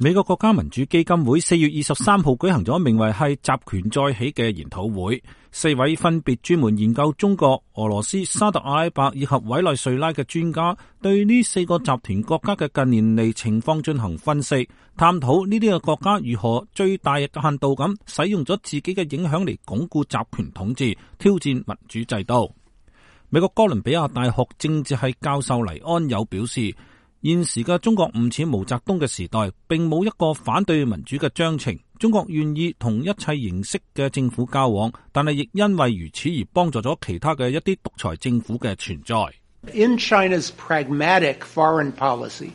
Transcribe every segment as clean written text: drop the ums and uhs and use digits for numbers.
美國國家民主基金會4月23號舉行咗名為係集權再起嘅研討會，4位分別專門研究中國、俄羅斯、沙特阿拉伯以及委內瑞拉嘅專家，對呢4個集團國家嘅近年嚟情況進行分析，探討呢啲嘅國家如何最大限度咁使用咗自己嘅影響嚟鞏固集權統治，挑戰民主制度。美國哥倫比亞大學政治系教授黎安友表示，現時嘅中國唔似毛澤東嘅時代，並冇一個反對民主嘅章程。中國願意同一切形式嘅政府交往，但係亦因為如此而幫助咗其他嘅一啲獨裁政府嘅存在。In China's pragmatic foreign policy,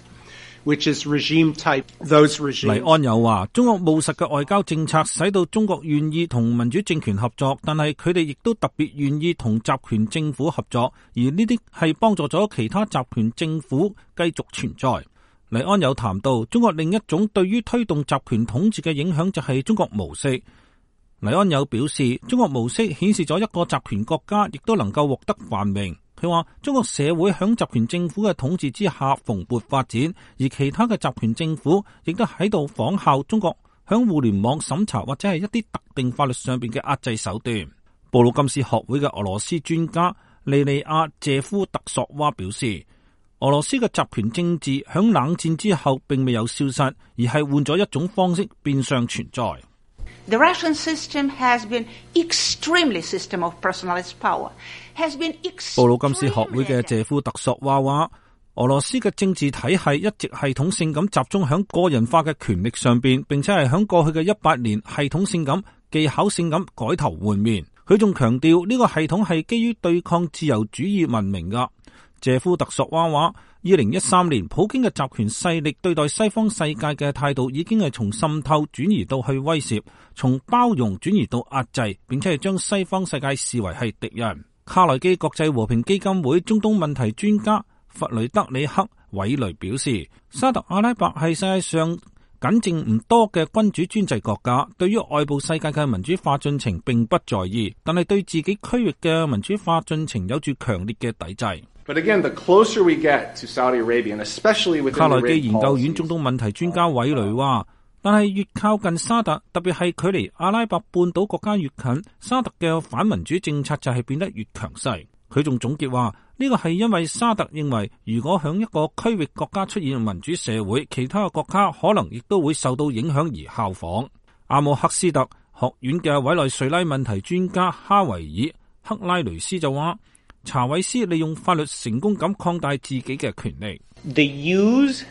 which is regime type, those regimes. 黎安友話，中國務實嘅外交政策使到中國願意同民主政權合作，但係佢哋亦都特別願意同集權政府合作，而呢啲係幫助咗其他集權政府繼續存在。黎安友談到，中國另一種對於推動集權統治嘅影響就係中國模式。黎安友表示，中國模式顯示咗一個集權國家亦都能夠獲得繁榮。佢話中國社會響集權政府嘅統治之下蓬勃發展，而其他嘅集權政府亦都喺度仿效中國響互聯網審查或者係一啲特定法律上邊嘅壓制手段。布魯金斯學會嘅俄羅斯專家利利亞謝夫特索娃表示，俄羅斯嘅集權政治響冷戰之後並未有消失，而係換咗一種方式變相存在。The Russian system has been extremely system of personalist power. 布魯金斯學會嘅謝夫特索娃話，俄羅斯嘅政治體系一直系統性咁集中響個人化嘅權力上邊，並且係響過去嘅100年系統性咁、技巧性咁改頭換面。佢仲強調呢個系統係基於對抗自由主義文明噶。謝夫特索娃話，2013年普京嘅集權勢力對待西方世界嘅態度已經係從滲透轉移到去威懾，從包容轉移到壓制，並且係將西方世界視為係敵人。卡內基國際和平基金會中東問題專家弗雷德里克韋雷表示，沙特阿拉伯係世界上僅剩唔多嘅君主專制國家，對於外部世界嘅民主化進程並不在意，但係對自己區域嘅民主化進程有住強烈嘅抵制。But again, the closer we get to Saudi Arabia, and especially within 卡內基研究院中東問題專家韋雷話，但係越靠近沙特，特別係距離阿拉伯半島國家越近，沙特嘅反民主政策就係變得越強勢。佢仲總結話，呢個係因為沙特認為，如果響一個區域國家出現民主社會，其他嘅國家可能亦都會受到影響而效仿。阿姆赫斯特學院嘅委內瑞拉問題專家哈維爾克拉雷斯就話，查韋斯利用法律成功咁擴大自己嘅權力。The use,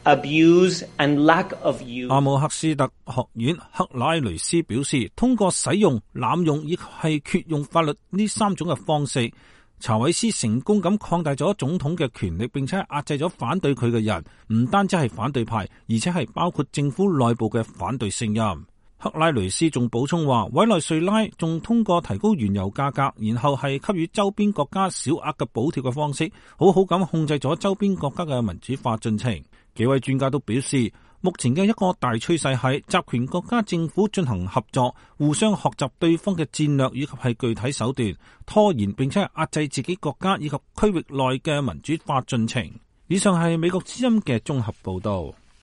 abuse and lack of use. 阿姆赫斯特學院克拉雷斯表示，通過使用、濫用以及係缺用法律呢3種嘅方式，查韋斯成功咁擴大咗總統嘅權力，並且壓制咗反對佢嘅人，唔單止係反對派，而且係包括政府內部嘅反對聲音。克拉雷斯仲補充話，委內瑞拉仲通過提高原油價格，然後係給予周邊國家小額嘅補貼嘅方式，好好咁控制咗周邊國家嘅民主化進程。幾位專家都表示，目前嘅一個大趨勢係集權國家政府進行合作，互相學習對方嘅戰略以及係具體手段，拖延並且係壓制自己國家以及區域內嘅民主化進程。以上係美國之音嘅綜合報道。